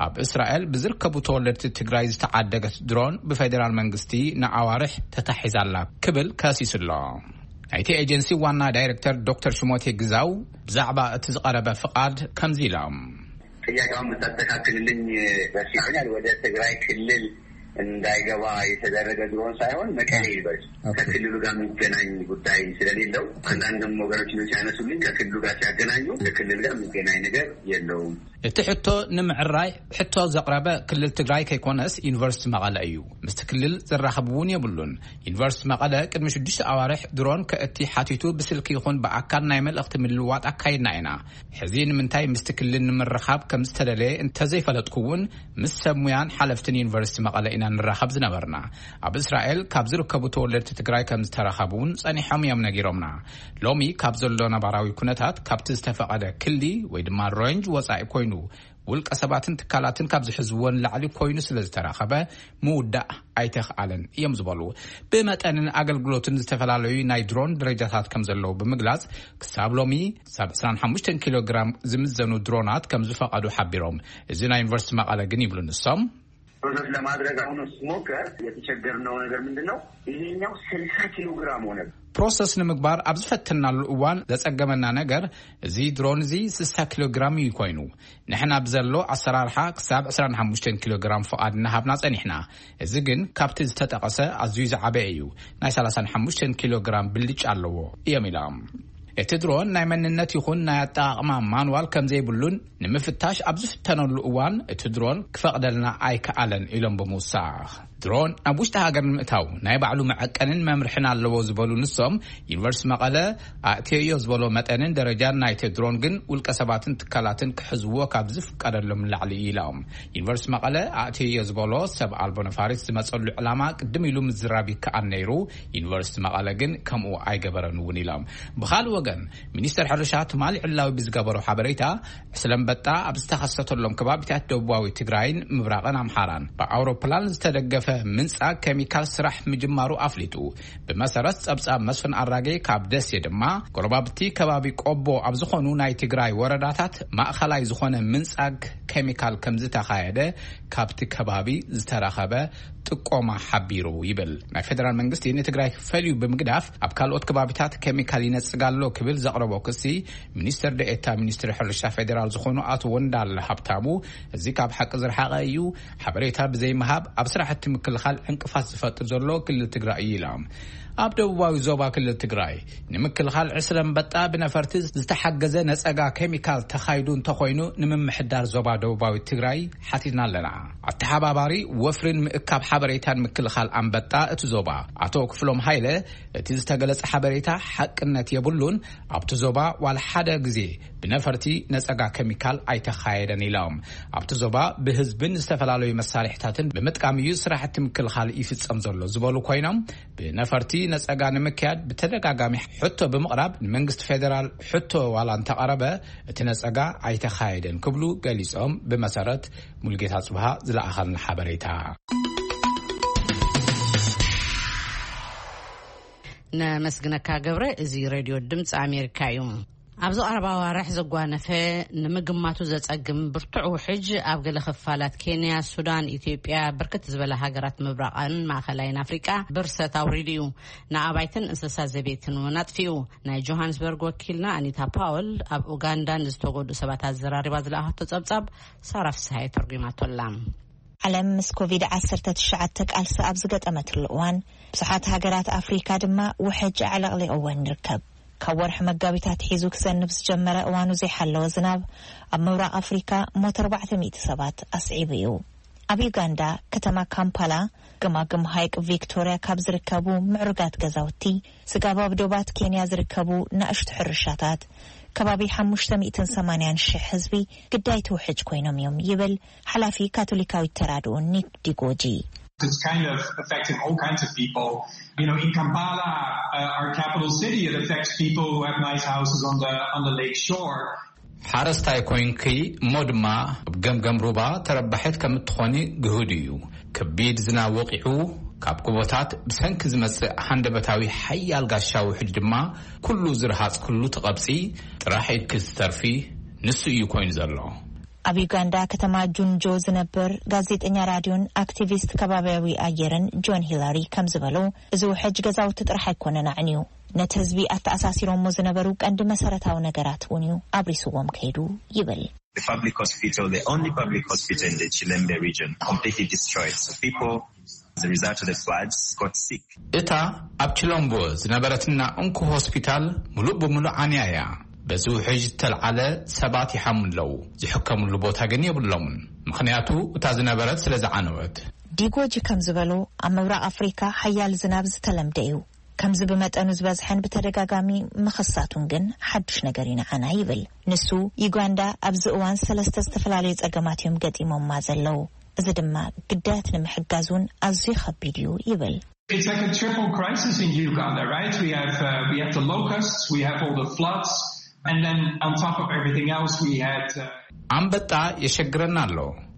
ኣብ እስራኤል ብዝርከቡ ተወለድቲ ትግራይ ዝተዓደገት ድሮን ብፌደራል መንግስቲ ንኣዋርሕ ተታሒዛላ ክብል ከሲሱ ኣሎ። ናይቲ ኤጀንሲ ዋና ዳይሬክተር ዶክተር ሽሞቴ ግዛው ብዛዕባ እቲ ዝቐረበ ፍቓድ ከምዚ ኢሎም። ጥያቄውን ብታስተካክልልኝ ደስ ይለኛል። ወደ ትግራይ ክልል እንዳይገባ የተደረገ ድሮን ሳይሆን መቀሌ ዩኒቨርሲቲ ከክልሉ ጋር የሚገናኝ ጉዳይ ስለሌለው አንዳንድም ወገኖች ሲያነሱልኝ ከክልሉ ጋር ሲያገናኙ ከክልል ጋር የሚገናኝ ነገር የለውም። እቲ ሕቶ ንምዕራይ ሕቶ ዘቕረበ ክልል ትግራይ ከይኮነስ ዩኒቨርሲቲ መቐለ እዩ። ምስቲ ክልል ዘራኽብ እውን የብሉን። ዩኒቨርሲቲ መቐለ ቅድሚ ሽዱሽተ ኣዋርሕ ድሮን ከእቲ ሓቲቱ ብስልኪ ይኹን ብኣካል ናይ መልእኽቲ ምልውዋጥ ኣካይድና ኢና። ሕዚ ንምንታይ ምስቲ ክልል ንምርኻብ ከም ዝተደለየ እንተዘይፈለጥኩ እውን ምስ ሰብ ሙያን ሓለፍትን ዩኒቨርሲቲ መቐለ ኢና ንራኸብ ዝነበርና። ኣብ እስራኤል ካብ ዝርከቡ ተወለድቲ ትግራይ ከም ዝተረኸቡ እውን ጸኒሖም እዮም ነጊሮምና። ሎሚ ካብ ዘሎ ነባራዊ ኩነታት ካብቲ ዝተፈቐደ ክሊ ወይ ድማ ሬንጅ ወጻኢ ኮይኑ ውልቀ ሰባትን ትካላትን ካብ ዝሕዝዎ ንላዕሊ ኮይኑ ስለ ዝተረኸበ ምውዳእ ኣይተኽኣለን እዮም ዝበሉ። ብመጠንን ኣገልግሎትን ዝተፈላለዩ ናይ ድሮን ደረጃታት ከም ዘለዉ ብምግላጽ ክሳብ ሎሚ ክሳብ ዕስራን ሓሙሽተን ኪሎ ግራም ዝምዘኑ ድሮናት ከም ዝፈቐዱ ሓቢሮም። እዚ ናይ ዩኒቨርሲቲ መቐለ ግን ይብሉ ንሶም ፕሮሰስ ለማድረግ አሁን ስሞከር የተቸገርነው ነገር ምንድን ነው? ይሄኛው ስልሳ ኪሎ ግራም ሆነ። ፕሮሰስ ንምግባር ኣብ ዝፈተናሉ እዋን ዘጸገመና ነገር፣ እዚ ድሮን እዚ ስሳ ኪሎ ግራም እዩ ኮይኑ። ንሕና ብዘሎ ኣሰራርሓ ክሳብ ዕስራን ሓሙሽተን ኪሎ ግራም ፍቓድ እናሃብና ጸኒሕና። እዚ ግን ካብቲ ዝተጠቐሰ ኣዝዩ ዝዓበየ እዩ። ናይ ሰላሳን ሓሙሽተን ኪሎ ግራም ብልጫ ኣለዎ እዮም ኢሎም። እቲ ድሮን ናይ መንነት ይኹን ናይ ኣጠቓቕማ ማንዋል ከም ዘይብሉን ንምፍታሽ ኣብ ዝፍተነሉ እዋን እቲ ድሮን ክፈቕደልና ኣይከኣለን ኢሎም ብምውሳኽ፣ ድሮን ናብ ውሽጢ ሃገር ንምእታው ናይ ባዕሉ መዐቀንን መምርሕን ኣለዎ ዝበሉ ንሶም፣ ዩኒቨርሲቲ መቐለ ኣእትየዮ ዝበሎ መጠንን ደረጃን ናይቲ ድሮን ግን ውልቀ ሰባትን ትካላትን ክሕዝዎ ካብ ዝፍቀደሎም ንላዕሊ እዩ ኢሎም። ዩኒቨርሲቲ መቐለ ኣእትየዮ ዝበሎ ሰብ ኣልቦ ነፋሪት ዝመፀሉ ዕላማ ቅድም ኢሉ ምዝራብ ይከኣል ነይሩ። ዩኒቨርሲቲ መቐለ ግን ከምኡ ኣይገበረን እውን ኢሎም። ብኻልእ ወገን፣ ሚኒስተር ሕርሻ ትማሊ ዕላዊ ብዝገበሮ ሓበሬታ፣ ዕስለ ኣንበጣ ኣብ ዝተኸሰተሎም ከባቢታት ደቡባዊ ትግራይን ምብራቕን ኣምሓራን ብኣውሮፕላን ዝተደገፈ ምንጻግ ኬሚካል ስራሕ ምጅማሩ ኣፍሊጡ። ብመሰረት ጸብጻብ መስፍን ኣራጌ ካብ ደሴ ድማ፣ ጎረባብቲ ከባቢ ቆቦ ኣብ ዝኾኑ ናይ ትግራይ ወረዳታት ማእኸላይ ዝኾነ ምንጻግ ኬሚካል ከም ዝተኻየደ ካብቲ ከባቢ ዝተረኸበ ጥቆማ ሓቢሩ ይብል። ናይ ፌደራል መንግስቲ ንትግራይ ፈልዩ ብምግዳፍ ኣብ ካልኦት ከባቢታት ኬሚካል ይነጽግ ኣሎ ክብል ዘቕረቦ ክሲ፣ ሚኒስትር ደኤታ ሚኒስትሪ ሕርሻ ፌዴራል ዝኾኑ ኣቶ ወንዳለ ሃብታሙ፣ እዚ ካብ ሓቂ ዝረሓቐ እዩ፣ ሓበሬታ ብዘይምሃብ ኣብ ስራሕቲ ምክልኻል ዕንቅፋት ዝፈጥር ዘሎ ክልል ትግራይ እዩ ኢሎም። ኣብ ደቡባዊ ዞባ ክልል ትግራይ ንምክልኻል ዕስለ ኣንበጣ ብነፈርቲ ዝተሓገዘ ነጸጋ ኬሚካል ተኻይዱ እንተኾይኑ፣ ንምምሕዳር ዞባ ደቡባዊ ትግራይ ሓቲትና ኣለና። ኣተሓባባሪ ወፍርን ምእካብ ሓበሬታን ምክልኻል ኣንበጣ እቲ ዞባ ኣቶ ክፍሎም ሃይለ፣ እቲ ዝተገለጸ ሓበሬታ ሓቅነት የብሉን፣ ኣብቲ ዞባ ዋላ ሓደ ግዜ ብነፈርቲ ነጸጋ ኬሚካል ኣይተኻየደን ኢሎም። ኣብቲ ዞባ ብህዝብን ዝተፈላለዩ መሳርሕታትን ብምጥቃም እዩ ስራሕቲ ምክልኻል ይፍጸም ዘሎ ዝበሉ ኮይኖም፣ ብነፈርቲ ነጸጋ ንምክያድ ብተደጋጋሚ ሕቶ ብምቕራብ ንመንግስቲ ፌዴራል ሕቶ ዋላ እንተቐረበ፣ እቲ ነጸጋ ኣይተኻየደን ክብሉ ገሊጾም። ብመሰረት ሙልጌታ ጽብሃ ዝለኣኸልና ሓበሬታ። ነመስግነካ ገብረ። እዚ ሬድዮ ድምፂ ኣሜሪካ እዩ። ኣብዚ ቀረባ ኣዋርሕ ዘጓነፈ፣ ንምግማቱ ዘጸግም ብርቱዕ ውሕጅ ኣብ ገለ ክፋላት ኬንያ፣ ሱዳን፣ ኢትዮጵያ፣ ብርክት ዝበለ ሃገራት ምብራቕን ማእኸላይን ኣፍሪቃ ብርሰት ኣውሪዱ እዩ። ንኣባይትን እንስሳ ዘቤትን እውን ኣጥፊኡ። ናይ ጆሃንስበርግ ወኪልና ኣኒታ ፓወል ኣብ ኡጋንዳ ንዝተጎድኡ ሰባት ኣዘራሪባ ዝለኣኸቶ ጸብጻብ ሳራ ፍስሃየ ተርጒማቶላ። ዓለም ምስ ኮቪድ ዓሰርተ ትሽዓተ ቃልሲ ኣብ ዝገጠመትሉ እዋን፣ ብዙሓት ሃገራት ኣፍሪካ ድማ ውሕጅ ኣዕለቕሊቕወን ይርከብ። ካብ ወርሒ መጋቢት ኣትሒዙ ክዘንብ ዝጀመረ እዋኑ ዘይሓለወ ዝናብ ኣብ ምብራቕ ኣፍሪካ ሞት ኣርባዕተ ሚእቲ ሰባት ኣስዒቡ እዩ። ኣብ ዩጋንዳ፣ ከተማ ካምፓላ፣ ገማግም ሃይቅ ቪክቶርያ ካብ ዝርከቡ ምዕሩጋት ገዛውቲ፣ ስጋብ ኣብ ዶባት ኬንያ ዝርከቡ ናእሽቱ ሕርሻታት፣ ከባቢ ሓሙሽተ ሚእትን ሰማንያን ሽሕ ህዝቢ ግዳይ ትውሕጅ ኮይኖም እዮም ይብል ሓላፊ ካቶሊካዊት ተራድኦ ኒክ ዲጎጂ። It's kind of affecting all kinds of people. You know, in Kampala, uh, our capital city, it affects people who have nice houses on the on the lake shore. ሓረስታይ ኮይንኪ እሞ ድማ ኣብ ገምገም ሩባ ተረባሒት ከም እትኾኒ ግሁድ እዩ። ከቢድ ዝናብ ወቂዑ፣ ካብ ጎቦታት ብሰንኪ ዝመጽእ ሃንደበታዊ ሓያል ጋሻ ውሕጅ ድማ ኩሉ ዝረሃጽክሉ ትቐብጺ፣ ጥራሕ ኢድኪ ትተርፊ፣ ንሱ እዩ ኮይኑ ዘሎ። ኣብ ዩጋንዳ ከተማ ጁንጆ ዝነብር ጋዜጠኛ ራድዮን ኣክቲቪስት ከባቢያዊ ኣየርን ጆን ሂላሪ ከም ዝበሎ፣ እዚ ውሕጅ ገዛውቲ ጥራሕ ኣይኮነን ኣዕንዩ፣ ነቲ ህዝቢ ኣተኣሳሲሮሞ ዝነበሩ ቀንዲ መሰረታዊ ነገራት እውን እዩ ኣብሪስዎም ከይዱ ይብል። The public hospital, the only public hospital in the Chilembe region, completely destroyed. So people, as a result of the floods, got sick. እታ ኣብ ቺሎምቦ ዝነበረትና እንኩ ሆስፒታል ምሉእ ብምሉእ ዓንያ እያ። በዚ ውሕጅ ዝተልዓለ ሰባት ይሓሙ ኣለዉ። ዝሕከምሉ ቦታ ግን የብሎምን። ምኽንያቱ እታ ዝነበረት ስለ ዝዓነወት። ዲጎጂ ከም ዝበሎ፣ ኣብ ምብራቕ ኣፍሪካ ሓያል ዝናብ ዝተለምደ እዩ። ከምዚ ብመጠኑ ዝበዝሐን ብተደጋጋሚ ምኽሳቱን ግን ሓዱሽ ነገር እዩ ንዓና ይብል። ንሱ፣ ዩጋንዳ ኣብዚ እዋን ሰለስተ ዝተፈላለዩ ጸገማት እዮም ገጢሞማ ዘለዉ። እዚ ድማ ግዳያት ንምሕጋዝ እውን ኣዝዩ ከቢድ እዩ ይብል። It's like a triple crisis in Uganda, right? We have, uh, we have the locusts, we have all the floods, and then on top of everything else, we had, uh, ኣንበጣ የሸግረና ኣሎ።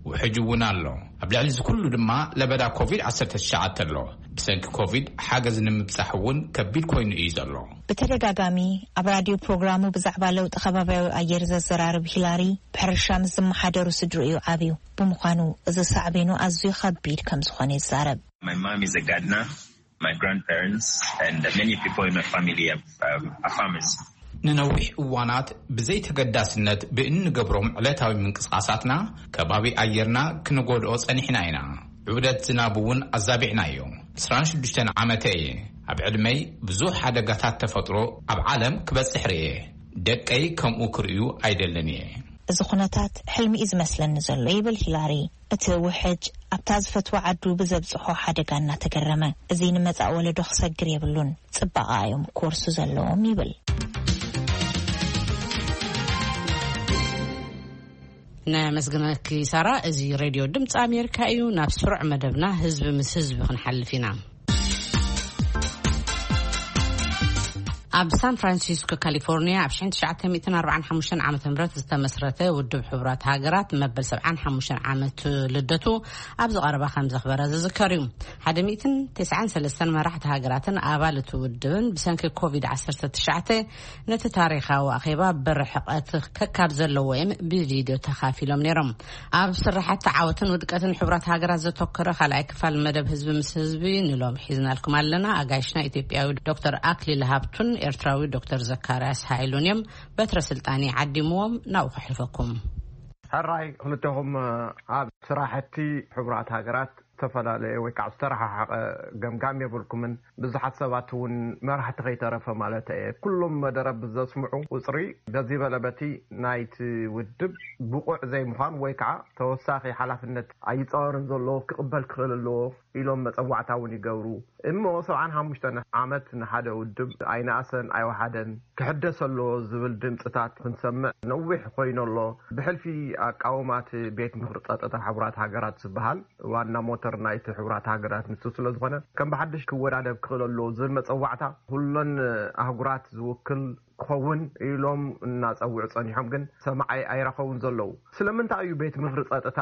ውሕጅ እውን ኣሎ። ኣብ ልዕሊ እዚ ኩሉ ድማ ለበዳ ኮቪድ ዓሰርተ ትሽዓተ ኣሎ። ብሰንኪ ኮቪድ ሓገዝ ንምብጻሕ እውን ከቢድ ኮይኑ እዩ ዘሎ። ብተደጋጋሚ ኣብ ራድዮ ፕሮግራሙ ብዛዕባ ለውጢ ከባብያዊ ኣየር ዘዘራርብ ሂላሪ፣ ብሕርሻ ምስ ዝመሓደሩ ስድርኡ እዩ ዓብዩ። ብምዃኑ እዚ ሳዕቤኑ ኣዝዩ ከቢድ ከም ዝኾነ ይዛረብ። My mom is a gardener. My grandparents and many people in my family are, um, are farmers. ንነዊሕ እዋናት ብዘይተገዳስነት ብእንገብሮም ዕለታዊ ምንቅስቓሳትና ከባቢ ኣየርና ክንጎድኦ ጸኒሕና ኢና። ዑደት ዝናብ እውን ኣዛቢዕናዮ። ዕስራን ሽዱሽተን ዓመተ እየ። ኣብ ዕድመይ ብዙሕ ሓደጋታት ተፈጥሮ ኣብ ዓለም ክበጽሕ ርእየ። ደቀይ ከምኡ ክርእዩ ኣይደልን እየ። እዚ ኩነታት ሕልሚ እዩ ዝመስለኒ ዘሎ፣ ይብል ሂላሪ። እቲ ውሕጅ ኣብታ ዝፈትዋ ዓዱ ብዘብጽሖ ሓደጋ እናተገረመ፣ እዚ ንመጻኢ ወለዶ ክሰግር የብሉን፣ ጽባቐ እዮም ክወርሱ ዘለዎም፣ ይብል። ነመስግነኪ ሳራ። እዚ ሬድዮ ድምፂ ኣሜሪካ እዩ። ናብ ስሩዕ መደብና ህዝቢ ምስ ህዝቢ ክንሓልፍ ኢና። ኣብ ሳን ፍራንሲስኮ ካሊፎርኒያ ኣብ ሽሕን ትሽዓተ ሚእትን ኣርባዓን ሓሙሽተን ዓመተ ምህረት ዝተመስረተ ውድብ ሕቡራት ሃገራት መበል ሰብዓን ሓሙሽተን ዓመት ልደቱ ኣብዚ ቀረባ ከም ዘኽበረ ዝዝከር እዩ። ሓደ ሚእትን ተስዓን ሰለስተን መራሕቲ ሃገራትን ኣባል እቲ ውድብን ብሰንኪ ኮቪድ ዓሰርተ ትሽዓተ ነቲ ታሪኻዊ ኣኼባ ብርሕቐት ከካብ ዘለዎ እዮም ብቪድዮ ተኻፊሎም ነይሮም። ኣብ ስራሓት ዓወትን ውድቀትን ሕቡራት ሃገራት ዘተኮረ ካልኣይ ክፋል መደብ ህዝቢ ምስ ህዝቢ ንሎም ሒዝናልኩም ኣለና። ኣጋይሽና ኢትዮጵያዊ ዶክተር ኣክሊል ሃብቱን ኤርትራዊ ዶክተር ዘካርያስ ሃይሉን እዮም። በትረ ስልጣን ዓዲምዎም ናብኡ ከሕልፈኩም። ሕራይ ክልተኹም ኣብ ስራሕቲ ሕቡራት ሃገራት ዝተፈላለየ ወይ ከዓ ዝተረሓሓቐ ገምጋም የብልኩምን። ብዙሓት ሰባት እውን መራሕቲ ከይተረፈ ማለት እየ፣ ኩሎም መደረ ብዘስምዑ ቁፅሪ በዚ በለ በቲ ናይቲ ውድብ ብቑዕ ዘይምዃን ወይ ከዓ ተወሳኺ ሓላፍነት ኣይፃወርን ዘሎ ክቕበል ክኽእል ኣለዎ ኢሎም መፀዋዕታ እውን ይገብሩ። እሞ ሰብዓን ሓሙሽተን ዓመት ንሓደ ውድብ ኣይነኣሰን ኣይወሓደን ክሕደስ ኣለዎ ዝብል ድምፅታት ክንሰምዕ ነዊሕ ኮይኑ ኣሎ። ብሕልፊ ኣቃውማት ቤት ምኽሪ ፀጥታ ሕቡራት ሃገራት ዝበሃል ዋና ሞተር ናይቲ ሕቡራት ሃገራት ንሱ ስለ ዝኾነ ከም ብሓድሽ ክወዳደብ ክኽእል ኣለዎ ዝብል መፀዋዕታ ኩለን ኣህጉራት ዝውክል ክኸውን ኢሎም እናፀውዑ ፀኒሖም፣ ግን ሰማዓይ ኣይረኸቡን ዘለዉ። ስለምንታይ እዩ ቤት ምኽሪ ፀጥታ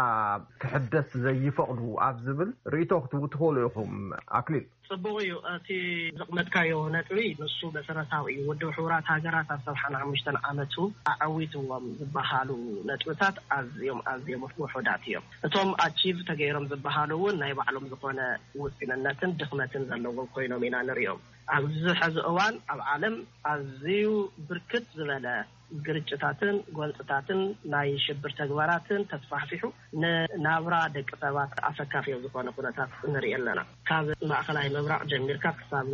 ክሕደስ ዘይፈቕዱ ኣብ ዝብል ርእይቶ ክትህቡ ትኽእሉ ኢኹም። ኣክሊል። ጽቡቕ እዩ። እቲ ዘቕመጥካዮ ነጥቢ ንሱ መሰረታዊ እዩ። ውድብ ሕቡራት ሃገራት ኣብ ሰብዓን ሓሙሽተን ዓመቱ ኣዐዊትዎም ዝበሃሉ ነጥብታት ኣዝዮም፣ ኣዝዮም ውሑዳት እዮም። እቶም ኣቺቭ ተገይሮም ዝበሃሉ እውን ናይ ባዕሎም ዝኾነ ውስንነትን ድኽመትን ዘለዎም ኮይኖም ኢና ንሪኦም። ኣብዚ ሐዚ እዋን ኣብ ዓለም ኣዝዩ ብርክት ዝበለ ግርጭታትን ጎንፅታትን ናይ ሽብር ተግባራትን ተስፋሕፊሑ ንናብራ ደቂ ሰባት ኣሰካፊ ኣብ ዝኾነ ኩነታት ንርኢ ኣለና። ካብ ማእኸላይ ምብራቕ ጀሚርካ ክሳብ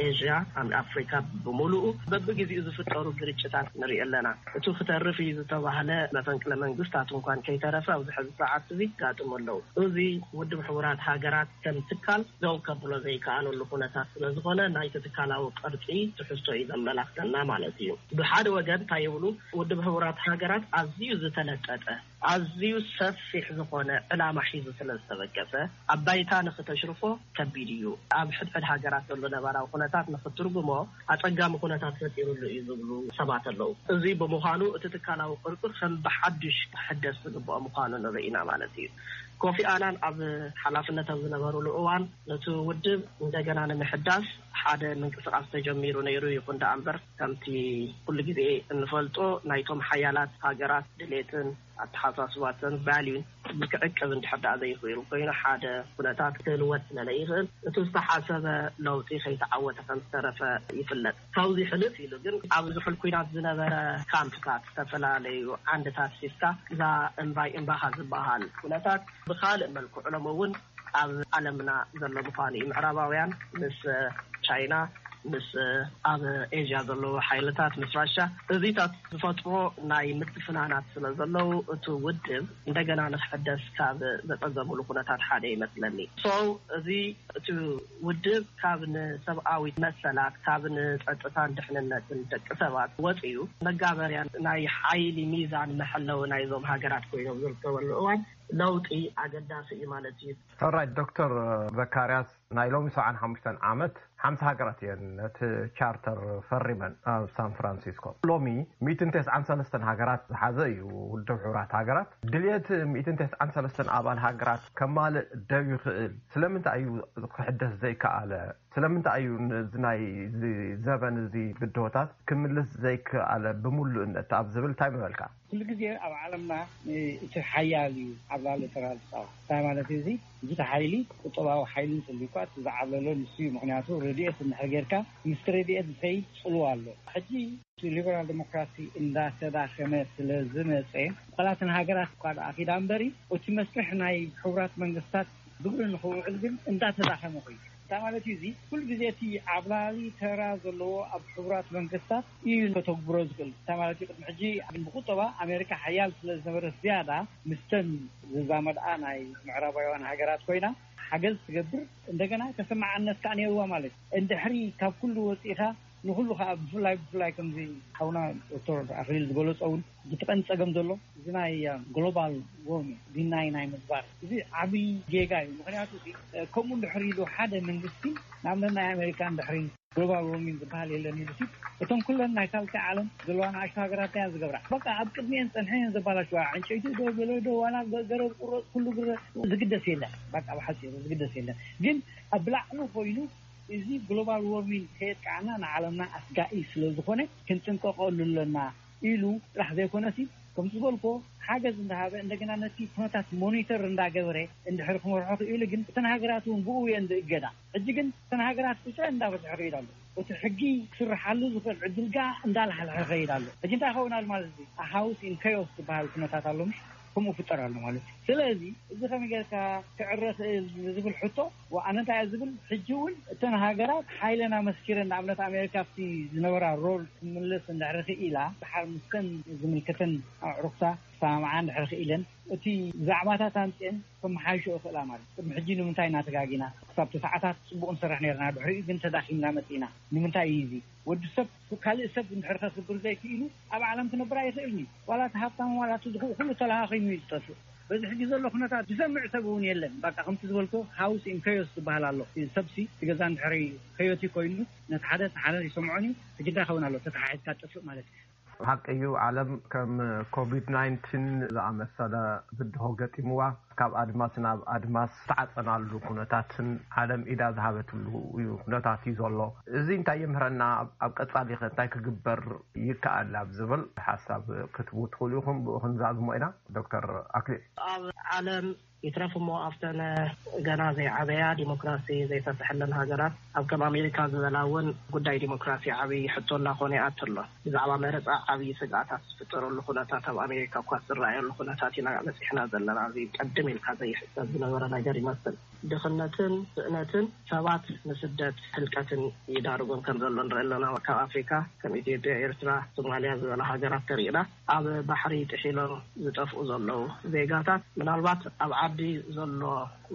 ኤዥያ፣ ኣብ ኣፍሪካ ብምሉኡ በብግዜኡ ዝፍጠሩ ግርጭታት ንርኢ ኣለና። እቱ ክተርፍ እዩ ዝተባህለ መፈንቅለ መንግስታት እንኳን ከይተረፈ ኣብዚ ሕዚ ሰዓት እዚ ይጋጥሙ ኣለዉ። እዚ ውድብ ሕቡራት ሃገራት ከም ትካል ደው ከብሎ ዘይከኣለሉ ኩነታት ስለ ዝኾነ ናይቲ ትካላዊ ቅርፂ ትሕዝቶ እዩ ዘመላኽተና ማለት እዩ። ብሓደ ወገን እንታይ ይብሉ? ውድብ ሕቡራት ሃገራት ኣዝዩ ዝተለጠጠ፣ ኣዝዩ ሰፊሕ ዝኾነ ዕላማ ሒዙ ስለ ዝተበገሰ ኣብ ባይታ ንክተሽርፎ ከቢድ እዩ። ኣብ ሕድሕድ ሃገራት ዘሎ ነባራዊ ኩነታት ንክትርጉሞ ኣጸጋሚ ኩነታት ፈጢሩሉ እዩ ዝብሉ ሰባት ኣለዉ። እዚ ብምዃኑ እቲ ትካላዊ ቅርጺ ከም ብሓድሽ ክሕደስ ዝግብኦ ምዃኑ ንርኢ ኢና ማለት እዩ። ኮፊ ኣናን ኣብ ሓላፍነት ኣብ ዝነበሩሉ እዋን ነቲ ውድብ እንደገና ንምሕዳስ ሓደ ምንቅስቓስ ተጀሚሩ ነይሩ። ይኹን ደኣ እምበር ከምቲ ኩሉ ግዜ እንፈልጦ ናይቶም ሓያላት ሃገራት ድሌትን ኣተሓሳስባትን ቫልዩን ክዕቅብ እንድሕር ደኣ ዘይኽእሉ ኮይኑ ሓደ ኩነታት ክልወጥ ስለ ዘይኽእል እቲ ዝተሓሰበ ለውጢ ከይተዓወተ ከም ዝተረፈ ይፍለጥ። ካብዚ ሕልፍ ኢሉ ግን ኣብ ዝሑል ኲናት ዝነበረ ካምፕታት ዝተፈላለዩ ዓንድታት ሒዝካ እዛ እምባይ እምባኻ ዝበሃል ኩነታት ብኻልእ መልክዑ ሎም እውን ኣብ ዓለምና ዘሎ ምዃኑ እዩ። ምዕራባውያን ምስ ቻይና፣ ምስ ኣብ ኤዥያ ዘለዉ ሓይልታት፣ ምስ ራሻ፣ እዚታት ዝፈጥሮ ናይ ምትፍናናት ስለ ዘለዉ እቲ ውድብ እንደገና ንክሕደስ ካብ ዘጸገምሉ ኩነታት ሓደ ይመስለኒ። So እዚ እቲ ውድብ ካብ ንሰብኣዊ መሰላት፣ ካብ ንጸጥታን ድሕንነትን ደቂ ሰባት ወጺኡ መጋበርያ ናይ ሓይሊ ሚዛን መሐለዊ ናይዞም ሃገራት ኮይኖም ዝርከበሉ እዋን ለውጢ ኣገዳሲ እዩ ማለት እዩ። ራይት ዶክተር ዘካርያስ፣ ናይ ሎሚ ሰብዓን ሓሙሽተን ዓመት ሓምሳ ሃገራት እየን ነቲ ቻርተር ፈሪመን ኣብ ሳን ፍራንሲስኮ። ሎሚ ሚእትን ተስዓን ሰለስተን ሃገራት ዝሓዘ እዩ ውድብ ሕቡራት ሃገራት። ድልየት ሚእትን ተስዓን ሰለስተን ኣባል ሃገራት ከማልእ ደው ይኽእል። ስለምንታይ እዩ ክሕደስ ዘይከኣለ? ስለምንታይ እዩ ነዚ ናይ እዚ ዘበን እዚ ብድሆታት ክምልስ ዘይከኣለ ብምሉእነት ኣብ ዝብል እንታይ ምበልካ? ኩሉ ግዜ ኣብ ዓለምና እቲ ሓያል እዩ ኣብ ላዕሊ ተራ ዝፃወት። እንታይ ማለት እዩ እዚ? እዚ ሓይሊ ቁጠባዊ ሓይሊ እንተልዩ እኳ እቲ ዝዓብለሎ ንሱ እዩ። ምክንያቱ ረድኤት እንድሕር ጌርካ ምስቲ ረድኤት ዝኸይድ ፅልዋ ኣሎ። ሕጂ እቲ ሊበራል ዲሞክራሲ እንዳተዳኸመ ስለ ዝመፀ፣ ዋላ እተን ሃገራት እኳ ደኣ ኪዳ እምበሪ፣ እቲ መስርሕ ናይ ሕቡራት መንግስታት ግብሪ ንኽውዕል ግን እንዳተዳኸመ ኮይኑ እንታይ ማለት እዩ እዚ? ኩሉ ግዜ እቲ ዓብላሊ ተራ ዘለዎ ኣብ ሕቡራት መንግስታት እዩ ከተግብሮ ዝኽእል። እንታይ ማለት እዩ? ቅድሚ ሕጂ ብቁጠባ ኣሜሪካ ሓያል ስለ ዝነበረት ዝያዳ ምስተን ዝዛመድኣ ናይ ምዕራባውያን ሃገራት ኮይና ሓገዝ ትገብር፣ እንደገና ተሰማዓነት ከዓ ነይርዋ ማለት እዩ። እንድሕሪ ካብ ኩሉ ወፂእካ ንኩሉ ከዓ ብፍላይ ብፍላይ ከምዚ ሓውና ዶክተር ኣክሊል ዝገለፆ እውን እቲ ቀንዲ ፀገም ዘሎ እዚ ናይ ግሎባል ዎርሚንግ ዲናይ ናይ ምግባር እዚ ዓብዪ ጌጋ እዩ። ምክንያቱ ከምኡ እንድሕር ኢሉ ሓደ መንግስቲ ንኣብነት ናይ ኣሜሪካ እንድሕሪ ግሎባል ዎርሚንግ ዝበሃል የለን ኢሉ ሲ እቶም ኩለን ናይ ሳልሳይ ዓለም ዘለዋ ንኣሽቱ ሃገራት እያ ዝገብራ። በቃ ኣብ ቅድሚኤን ፀንሐ እየን ዘባላሽዋ። ዕንጨይቲ ዶ ገለ ዶ ዋላ ገረብ ቁረፅ ኩሉ ግረ ዝግደስ የለን። በቃ ብሓፂሩ ዝግደስ የለን። ግን ኣብ ላዕሊ ኮይኑ እዚ ግሎባል ዎርሚንግ ከየጥቃዕና ንዓለምና ኣስጋኢ ስለ ዝኾነ ክንጥንቀቐሉ ኣለና ኢሉ ጥራሕ ዘይኮነሲ ከምቲ ዝበልኮ ሓገዝ እንዳሃበ እንደገና ነቲ ኩነታት ሞኒተር እንዳገበረ እንድሕር ክመርሖ ክኢሉ ግን እተን ሃገራት እውን ብኡ እየን ዝእገዳ። ሕጂ ግን እተን ሃገራት ቁፅረን እንዳበዝሐ ከይድ ኣሎ። እቲ ሕጊ ክስርሓሉ ዝኽእል ዕድል ጋ እንዳላሕለሐ ከይድ ኣሎ። ሕጂ እንታይ ይኸውን ኣሎ ማለት እዚ ሃውስ ኢን ከዮስ ዝበሃል ኩነታት ኣሎ ምሽ ከምኡ ፍጠር ኣሎ ማለት እዩ። ስለዚ እዚ ከመይ ጌርካ ክዕረ ክእል ዝብል ሕቶ ኣነ እንታይ እየ ዝብል ሕጂ እውን እተን ሃገራት ሓይለን ኣመስኪረን ንኣብነት ኣሜሪካ ኣብቲ ዝነበራ ሮል ክምልስ እንድሕር ክኢላ ድሓር ምስተን ዝምልከተን ኣዕሩኽታ ክሰማምዓ እንድሕር ክኢለን እቲ ዛዕባታት ኣምፅአን ከመሓይሾ ይኽእላ ማለት ቅድሚ ሕጂ ንምንታይ እናተጋጊና ክሳብ እቲ ሰዓታት ፅቡቅ ንሰርሕ ነርና ድሕሪኡ ግን ተዳኺምና መፂና ንምንታይ እዩ እዚ ወዲ ሰብ ካልእ ሰብ እንድሕር ከክብር ዘይክኢሉ ኣብ ዓለም ክነብር ኣይኽእልን እዩ ዋላ እቲ ሃብታም ዋላ እቲ ድኹእ ኩሉ ተለኻኺሙ እዩ ዝጠፍእ በዚ ሕጂ ዘሎ ኩነታት ዝሰምዕ ሰብ እውን የለን በቃ ከምቲ ዝበልኮ ሃውስ ኢን ከዮስ ዝበሃል ኣሎ ሰብሲ እቲ ገዛ እንድሕሪ ከዮቲ ኮይኑ ነቲ ሓደ እቲ ሓደ ይሰምዖን እዩ እቲ ግዳ ይኸውን ኣሎ ተተሓሒዝካ ትጥፍእ ማለት እዩ ሓቂ እዩ ዓለም ከም ኮቪድ ናይንቲን ዝኣመሰለ ብድሆ ገጢምዋ ካብ ኣድማስ ናብ ኣድማስ ዝተዓፀናሉ ኩነታትን ዓለም ኢዳ ዝሃበትሉ እዩ ኩነታት እዩ ዘሎ። እዚ እንታይ የምህረና? ኣብ ቀፃሊ ከ እንታይ ክግበር ይከኣል ኣብ ዝብል ሓሳብ ክትቡ ትኽእሉ ኢኹም። ብኡ ክንዛዝሞ ኢና። ዶክተር ኣክሊል። ኣብ ዓለም ይትረፍ እሞ ኣብተን ገና ዘይዓበያ ዲሞክራሲ ዘይሰፈሐለን ሃገራት ኣብ ከም ኣሜሪካ ዝበላ እውን ጉዳይ ዲሞክራሲ ዓብዪ ሕቶ እናኾነ ይኣቱ ኣሎ። ብዛዕባ መረፃ ዓብዪ ስግኣታት ዝፍጠረሉ ኩነታት ኣብ ኣሜሪካ እኳ ዝረኣየሉ ኩነታት ኢና በፂሕና ዘለና። እዚ ቅድም ኢልካ ዘይሕሰብ ዝነበረ ነገር ይመስል። ድኽነትን ስእነትን ሰባት ንስደት ህልቀትን ይዳርጎም ከም ዘሎ ንርኢ ኣለና። ካብ ኣፍሪካ ከም ኢትዮጵያ፣ ኤርትራ፣ ሶማልያ ዝበላ ሃገራት ተሪእና ኣብ ባሕሪ ጥሒሎም ዝጠፍኡ ዘለዉ ዜጋታት ምናልባት ኣብ ዓዲ ዘሎ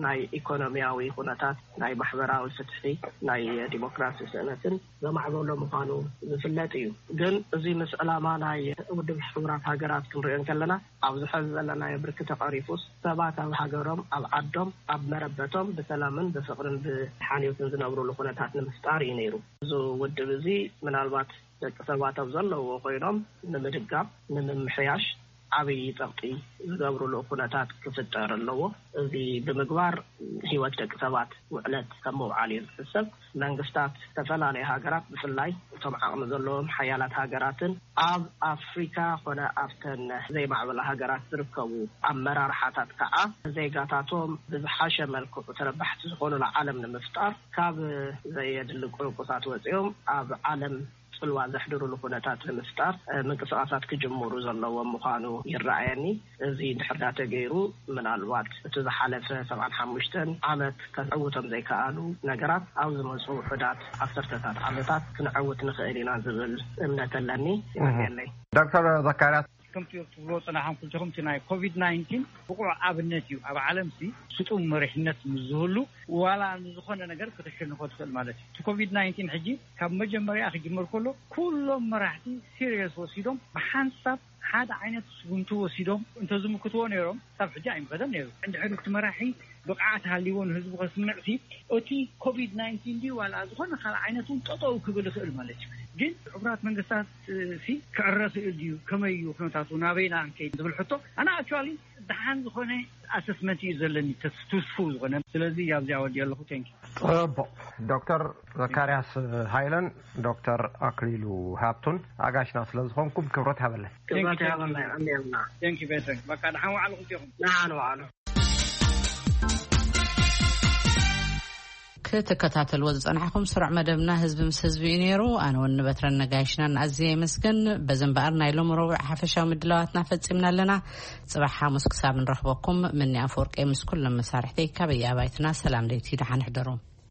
ናይ ኢኮኖሚያዊ ኩነታት ናይ ማሕበራዊ ፍትሒ ናይ ዲሞክራሲ ስእነትን ዘማዕበሎ ምዃኑ ዝፍለጥ እዩ። ግን እዚ ምስ ዕላማ ናይ ውድብ ሕቡራት ሃገራት ክንሪኦ እንከለና ኣብዚ ሐዚ ዘለናዮ ብርኪ ተቐሪፉስ ሰባት ኣብ ሃገሮም ኣብ ዓዶም ኣብ መረበቶም ብሰላምን ብፍቕርን ብሓልዮትን ዝነብሩሉ ኩነታት ንምፍጣር እዩ ነይሩ። እዚ ውድብ እዚ ምናልባት ደቂ ሰባት ኣብ ዘለውዎ ኮይኖም ንምድጋፍ ንምምሕያሽ ዓብዪ ፀቕጢ ዝገብሩሉ ኩነታት ክፍጠር ኣለዎ። እዚ ብምግባር ህይወት ደቂ ሰባት ውዕለት ከም ምውዓል እዩ ዝሕሰብ። መንግስታት ዝተፈላለዩ ሃገራት ብፍላይ እቶም ዓቕሚ ዘለዎም ሓያላት ሃገራትን ኣብ ኣፍሪካ ኮነ ኣብተን ዘይማዕበላ ሃገራት ዝርከቡ ኣመራርሓታት ከዓ ዜጋታቶም ብዝሓሸ መልክዑ ተረባሕቲ ዝኾኑሉ ዓለም ንምፍጣር ካብ ዘየድሊ ቁርቁሳት ወፂኦም ኣብ ዓለም ፅልዋ ዘሕድሩሉ ኩነታት ንምፍጣር ምንቅስቃሳት ክጅምሩ ዘለዎም ምዃኑ ይረኣየኒ። እዚ እንድሕር ዳ ተገይሩ ምናልባት እቲ ዝሓለፈ ሰብዓን ሓሙሽተን ዓመት ከዕውቶም ዘይከኣሉ ነገራት ኣብ ዝመፁ ውሑዳት ዓሰርተታት ዓመታት ክንዕውት ንኽእል ኢና ዝብል እምነት ኣለኒ። ይቀኒየለይ። ዶክተር ዘካርያስ ከምቲ ትብሎ ጽናሕን ኩልትኹም እቲ ናይ ኮቪድ ናይንቲን ብቑዕ ኣብነት እዩ። ኣብ ዓለም ሲ ስጡም መሪሕነት ምስ ዝህሉ ዋላ ንዝኾነ ነገር ከተሸንፎ ትኽእል ማለት እዩ። እቲ ኮቪድ ናይንቲን ሕጂ ካብ መጀመርያ ክጅምር ከሎ ኩሎም መራሕቲ ሲሪየስ ወሲዶም ብሓንሳብ ሓደ ዓይነት ስጉምቲ ወሲዶም እንተዝምክትዎ ነይሮም፣ ሳብ ሕጂ ኣይምኸደን ነይሩ። እንድሕር እቲ መራሒ ብቕዓት ሃልይዎ ንህዝቡ ከስምዕ ሲ እቲ ኮቪድ ናይንቲን ድዩ ዋላ ዝኾነ ካልእ ዓይነት እውን ጠጠው ክብል ይኽእል ማለት እዩ። ግን ሕቡራት መንግስታት ሲ ክዕረ ክእል ድዩ፣ ከመይ እዩ ኩነታቱ፣ ናበይና ንከይድ ዝብል ሕቶ ኣና ኣክቹዋሊ ደሓን ዝኾነ ኣሰስመንት እዩ ዘለኒ፣ ተስፍስፉ ዝኾነ። ስለዚ ኣብዚኣ ወዲ ኣለኹ። ቴንክ። ጽቡቕ። ዶክተር ዘካርያስ ሃይለን ዶክተር ኣክሊሉ ሃብቱን ኣጋሽና ስለ ዝኾንኩም ክብረት ሃበለን። ክብረት ይሃበልና። ኣሜንና። ቴንክ ቤተር። በቃ ደሓን ዋዕሉ ክልቲኹም። ንሓን ዋዕሉ። ክትከታተልዎ ዝጸናሕኩም ስሩዕ መደብና ህዝቢ ምስ ህዝቢ እዩ ነይሩ። ኣነ እውን ንበትረን ነጋይሽናን ኣዝየ የመስግን። በዚ እምበኣር ናይ ሎም ረቡዕ ሓፈሻዊ ምድላዋትና ፈጺምና ኣለና። ጽባሕ ሓሙስ ክሳብ ንረኽበኩም ምኒ ኣፈወርቂ ምስ ኩሎም መሳርሕተይ ካበይ ኣባይትና ሰላም ለይቲ ደሓን ሕደሩ።